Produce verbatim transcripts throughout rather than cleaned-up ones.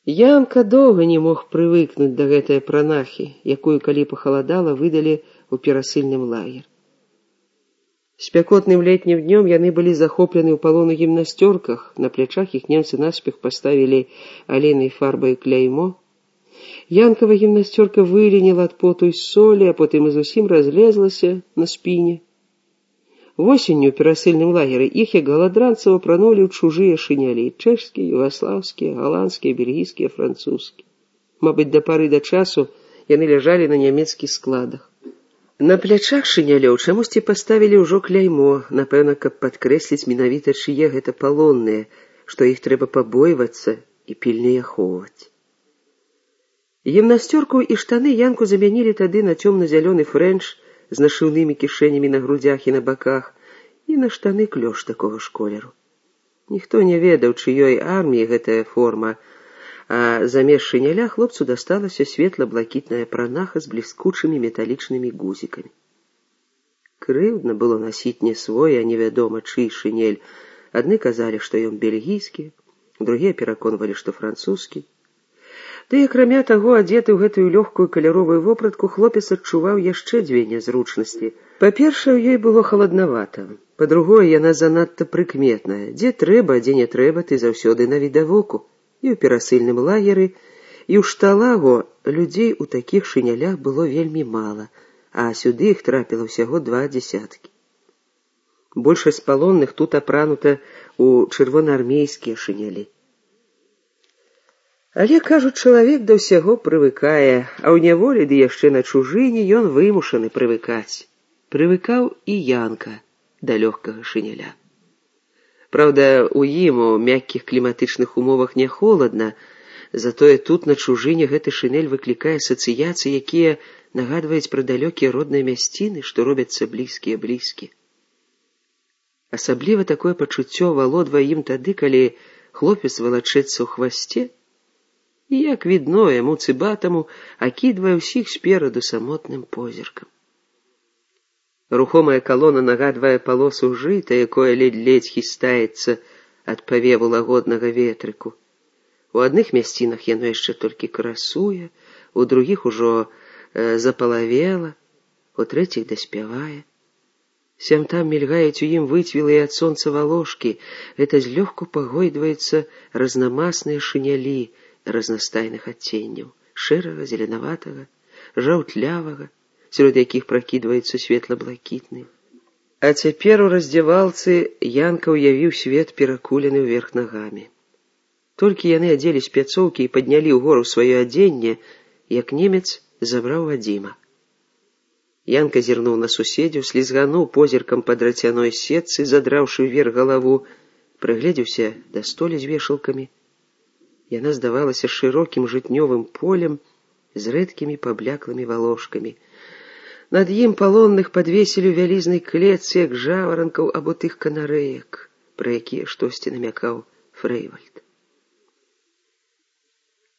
Янка доўга не мог прывыкнуць да гэтай пранахі, якую, калі пахаладала, выдалі ў перасыльным лагер. Спякотным летнім днём яны былі захоплены ў палон у гімнасцёрках, на плячах іх немцы наспех паставілі алейнай фарбай кляймо. Янкава гімнасцёрка выленіла ад поту і солі, а потым і зусім разлезлася на спіне. Восенню ў перасыльным лагеры іх, як галадранцаў, апранулі ў чужыя шынялі — чэшскія, югаслаўскія, галандскія, бельгійскія, французскія. Мабыць, да пары да часу яны ляжалі на нямецкіх складах. На плячах шынялёў чамусьці паставілі ўжо кляймо, напэўна, каб падкрэсліць менавіта, чые гэта палонныя, што іх трэба пабойвацца і пільней ахоўваць. Гімнасцёрку і штаны Янку замянілі тады на цёмна-зялёны фрэнч з нашыўнымі кішэнямі на грудзях і на баках, і на штаны клёш такога ж колеру. Ніхто не ведаў, чыёй арміі гэтая форма, а замест шыняля хлопцу дасталася светла-блакітная пранаха з бліскучымі металічнымі гузікамі. Крыўдна было насіць не свой, а невядома чый шынель. Адны казалі, што ён бельгійскі, другія пераконвалі, што французскі. Ды, акрамя таго, адзеты ў гэтую лёгкую каляровую вопратку, хлопец адчуваў яшчэ дзве нязручнасці. Па-першае, у ёй было халаднавата. Па-другое, яна занадта прыкметная. Дзе трэба, дзе не трэба, ты заўсёды навідавоку. І ў перасыльным лагеры, і ў шталагу людзей у такіх шынялях было вельмі мала, а сюды іх трапіла ўсяго два дзесяткі. Большасць палонных тут апранута ў чырвонаармейскія шынялі. Але, кажуць, чалавек да ўсяго прывыкае, а ў няволі, ды яшчэ на чужыне, ён вымушаны прывыкаць. Прывыкаў і Янка да лёгкага шыняля. Праўда, у ім у мяккіх кліматычных умовах не холадна, затое тут на чужыне гэты шынель выклікае асацыяцыі, якія нагадваюць пра далёкія родныя мясціны, што робяцца блізкія-блізкі. Асабліва такое пачуццё валодвае ім тады, калі хлопец валачэцца ў хвасце, і, як відно, яму цыбатаму акідвае ўсіх спераду самотным позіркам. Рухомая калона нагадвае палосу жыта, якое ледзь-ледзь хістаецца ад павеву лагоднага ветрыку. У адных мясцінах яно яшчэ толькі красуе, у другіх ужо э, запалавела, у трэціх даспявае. Сям-там мільгаюць у ім выцвілыя ад сонца валошкі, гэта злёгку пагойдваецца разнамасныя шынялі разнастайных адценняў — шэрага, зеленаватага, жаўтлявага, сярод якіх пракідваецца светла-блакітны. А цяпер у раздзявалцы Янка ўявіў свет перакулены ўверх нагамі. Толькі яны адзелі спецоўкі і паднялі ўгору сваё адзенне, як немец забраў Вадзіма. Янка зірнуў на суседзяў, слізгануў позіркам па драцяной сетцы, задраўшы ўверх галаву, прыгледзеўся да столі з вешалкамі. Яна здавалася шырокім жытнёвым полем з рэдкімі пабляклымі валошкамі. Над ім палонных падвесілі ў вялізнай клетцы, як жаваранкаў або тых канарэек, пра якія штосьці намякаў Фрэйвальд.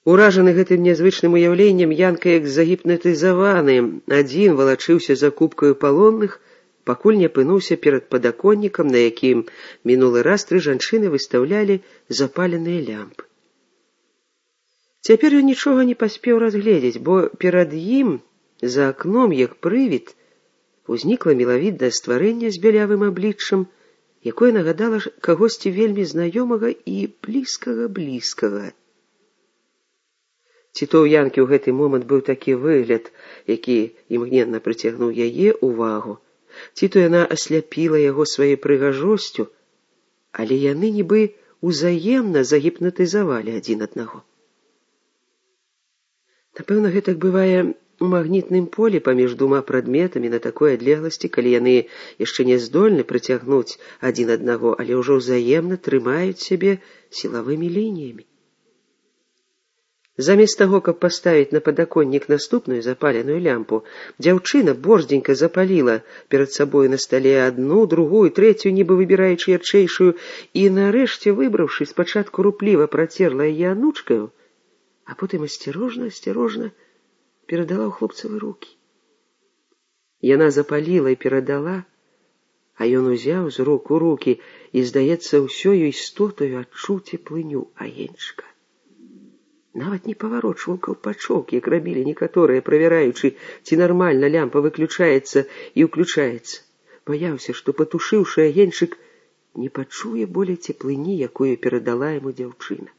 Уражаны гэтым нязвычным уяўленнем, Янка, як загіпнатызаваны, адзін валачыўся за купкаю палонных, пакуль не апынуўся перад падаконнікам, на якім мінулы раз тры жанчыны выстаўлялі запаленыя лямпы. Цяпер ён нічога не паспеў разгледзець, бо перад ім, за акном, як прывід, узнікла мілавіднае стварэнне з бялявым абліччам, якое нагадала кагосьці вельмі знаёмага і блізкага-блізкага. Ці то ў Янкі ў гэты момант быў такі выгляд, які імгненна прыцягнуў яе ўвагу, ці то яна асляпіла яго сваёй прыгажосцю, але яны нібы узаемна загіпнатызавалі адзін аднаго. Напэўна, гэтак бывае у магнітным полі паміж двума прадметамі на такой адлегласці, калі яны яшчэ не здольны прыцягнуць адзін аднаго, але ўжо ўзаемна трымаюць сябе сілавымі лініямі. Замест таго, каб паставіць на падаконнік наступную запаленую лямпу, дзяўчына борздзенька запаліла перад сабою на стале адну, другую, трэцюю, нібы выбіраючы ярчэйшую, і нарэшце, выбраўшы, спачатку рупліва працерла яе анучкаю, а потым асцярожна-асцярожна перадала ў хлопцавы рукі. Яна запаліла і перадала, а ён узяў з рук у рукі і, здаецца, ўсёю істотаю адчуў цеплыню агеньчыка. Нават не паварочваў каўпачок, як рабілі некаторыя, правяраючы, ці нармальна лямпа выключаецца і ўключаецца. Баяўся, што, патушыўшы агеньчык, не пачуе болей цеплыні, якую перадала яму дзяўчына.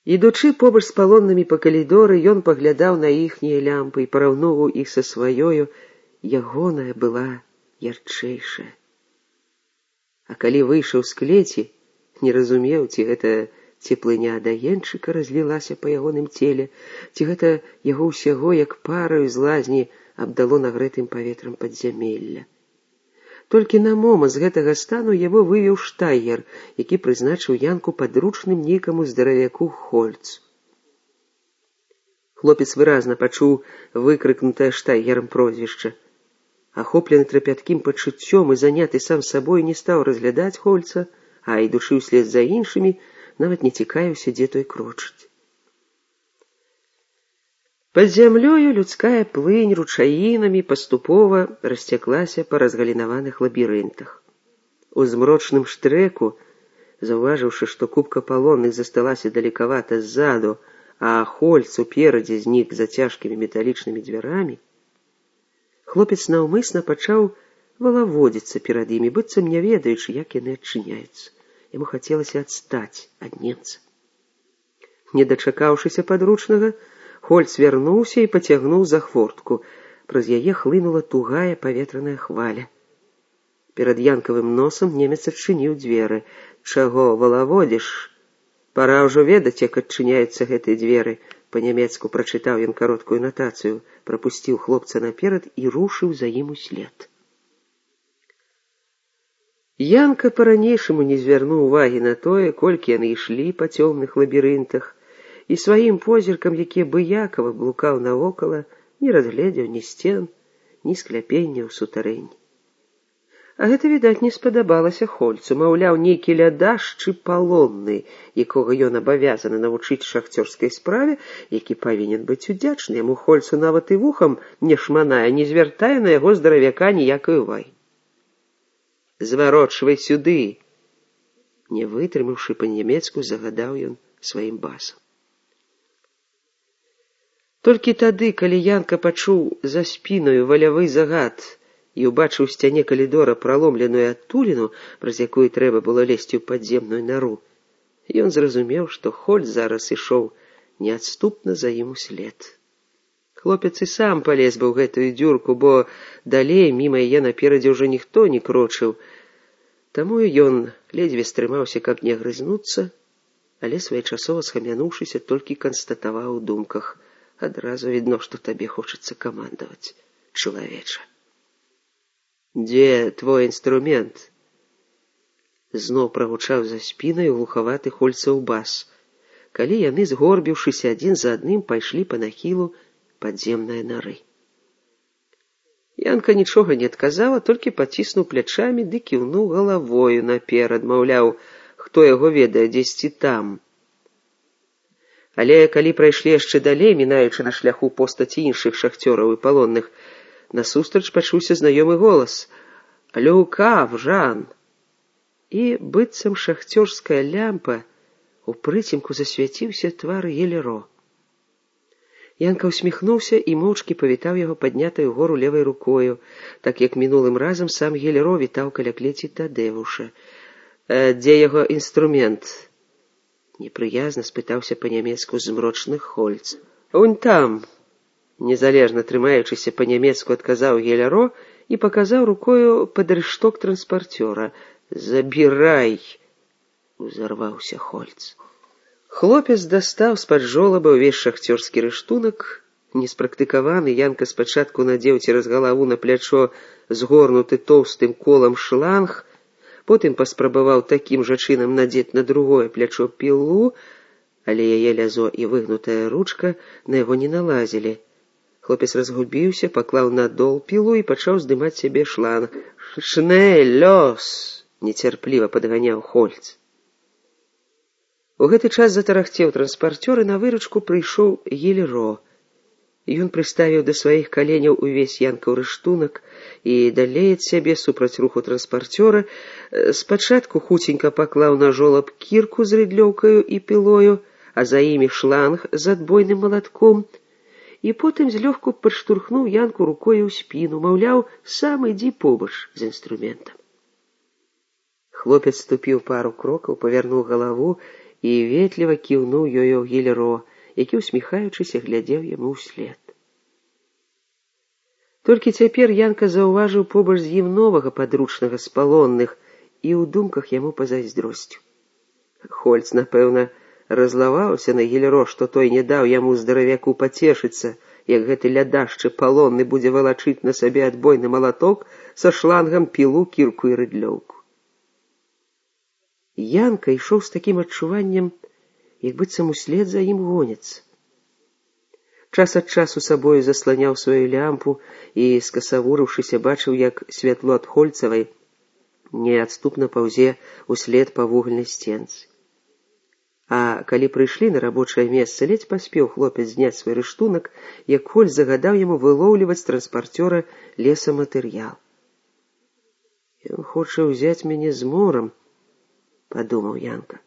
Ідучы побач з палоннымі па калідоры, ён паглядаў на іхнія лямпы і параўноўваў іх са сваёю, ягоная была ярчэйшая. А калі выйшаў з клеці, не разумеў, ці гэта цеплыня ад агеньчыка разлілася па ягоным целе, ці гэта яго ўсяго, як параю з лазні, абдало нагрэтым паветрам падзямелля. Толькі на момант з гэтага стану яго вывеў штайгер, які прызначыў Янку падручным нейкаму здаравяку Хольцу. Хлопец выразна пачуў выкрыкнутае штайгерам прозвішча. Ахоплены трапяткім пачуццём і заняты сам сабой, не стаў разглядаць Хольца, а, ідучы ўслед за іншымі, нават не цікавіўся, дзе той крочыць. Пад зямлёю людская плынь ручаінамі паступова расцяклася па разгалінаваных лабірынтах. У змрочным штрэку, заўважыўшы, што купка палонных засталася далекавата ззаду, а Хольц уперадзе знік за цяжкімі металічнымі дзвярамі, хлопец наўмысна пачаў валаводзіцца перад імі, быццам не ведаючы, як яны адчыняюцца. Яму хацелася адстаць ад немца. Не дачакаўшыся падручнага, Хольц вярнуўся і пацягнуў за хвортку. Праз яе хлынула тугая паветраная хваля. Перад Янкавым носам немец адчыніў дзверы. «Чаго валаводзіш? Пара ўжо ведаць, як адчыняюцца гэтыя дзверы». Па-нямецку прачытаў ён кароткую натацыю, прапусціў хлопца наперад і рушыў за ім услед. Янка па-ранейшаму не звярнуў увагі на тое, колькі яны ішлі па цёмных лабірынтах, і сваім позіркам, які абыякава блукаў навокала, не разгледзеў ні сцен, ні скляпення ў сутарэнні. А гэта, відаць, не спадабалася Хольцу, маўляў, нейкі лядаш ці палонны, якога ён абавязаны навучыць шахцёрскай справе, які павінен быць удзячны яму. Хольцу нават і вухам не шманае, не звяртае на яго здаравяка ніякай увагі. «Зварочвай сюды!» Не вытрымаўшы па-нямецку, загадаў ён сваім басам. Толькі тады, калі Янка пачуў за спіною валявы загад і ўбачыў у сцяне калідора праломленую адтуліну, праз якую трэба было лезці ў падземную нару, ён зразумеў, што Хольц зараз ішоў неадступна за ім услед. Хлопец і сам палез бы ў гэтую дзюрку, бо далей міма яе наперадзе ўжо ніхто не крочыў. Таму ён ледзьве стрымаўся, каб не агрызнуцца, але своечасова схамянуўшыся, толькі канстатаваў у думках: адразу відно, што табе хочацца камандаваць, чалавеча. «Дзе твой інструмент?» Зноў прагучаў за спінай глухаваты Хольцаў бас, калі яны, згорбіўшыся адзін за адным, пайшлі па нахілу падземнай нары. Янка нічога не адказала, толькі паціснуў плячамі ды кіўнуў галавою наперад, маўляў, хто яго ведае, дзесьці там. Але калі прайшлі яшчэ далей, мінаючы на шляху постаці іншых шахцёраў і палонных, насустрач пачуўся знаёмы голас: «Люкав, Жан!» І, быццам шахцёрская лямпа, у прыцемку засвяціўся твар Гелеро. Янка усміхнуўся і моўчкі павітаў яго паднятаю гору левай рукою, так як мінулым разам сам Гелеро вітаў каля клеці Тадэвуша. «Дзе яго інструмент?» Непрыязна спытаўся па-нямецку змрочны Хольц. «Унь там!» Незалежна трымаючыся па-нямецку адказаў Гелеро і паказаў рукою пад рышток транспарцёра. «Забірай!» узарваўся Хольц. Хлопец дастаў з-пад жолаба ўвесь шахцёрскі рыштунак. Неспрактыкаваны, Янка спачатку надзеў цераз галаву на плячо згорнуты тоўстым колам шланг, потым паспрабаваў такім жа чынам надзець на другое плячо пілу, але яе лязо і выгнутая ручка на яго не налазілі. Хлопец разгубіўся, паклаў на дол пілу і пачаў здымаць сябе шланг. «Шнель, лёс!» нецярпліва падганяў Хольц. У гэты час затарахцеў транспарцёр, і на выручку прыйшоў Гелеро. Ён прыставіў да сваіх каленяў увесь янкаў рыштунак і далей ад сябе супраць руху транспарцёра спачатку хуценька паклаў на жолаб кірку з рыдлёўкаю і пілою, а за імі шланг з адбойным малатком, і потым злёгку падштурхнуў янку рукою ў спіну, маўляў, сам ідзі побач з інструментам. Хлопец ступіў пару крокаў, павярнуў галаву і ветліва кіўнуў ёю Гілеро, які, усміхаючыся, глядзеў яму ўслед. Толькі цяпер янка заўважыў побач з ім новага падручнага з палонных і ў думках яму пазайздросціў. Хольц, напэўна, разлаваўся на Гілеро, што той не даў яму здаравяку пацешыцца, як гэты лядашчы палонны будзе валачыць на сабе адбойны малаток са шлангам, пілу, кірку і рыдлёўку. Янка ішоў з такім адчуваннем, як быццам услед за ім гоняцца. Час ад часу сабою засланяў сваю лямпу і, скасавурыўшыся, бачыў, як святло ад Хольцавай неадступна паўзе услед па вугальнай сценцы. А калі прыйшлі на рабочае месца, ледзь паспеў хлопец зняць свой рыштунак, як Хольц загадаў яму вылоўліваць з транспарцёра лесаматэрыял. «Ён хоча ўзяць мяне з морам», — падумаў янка.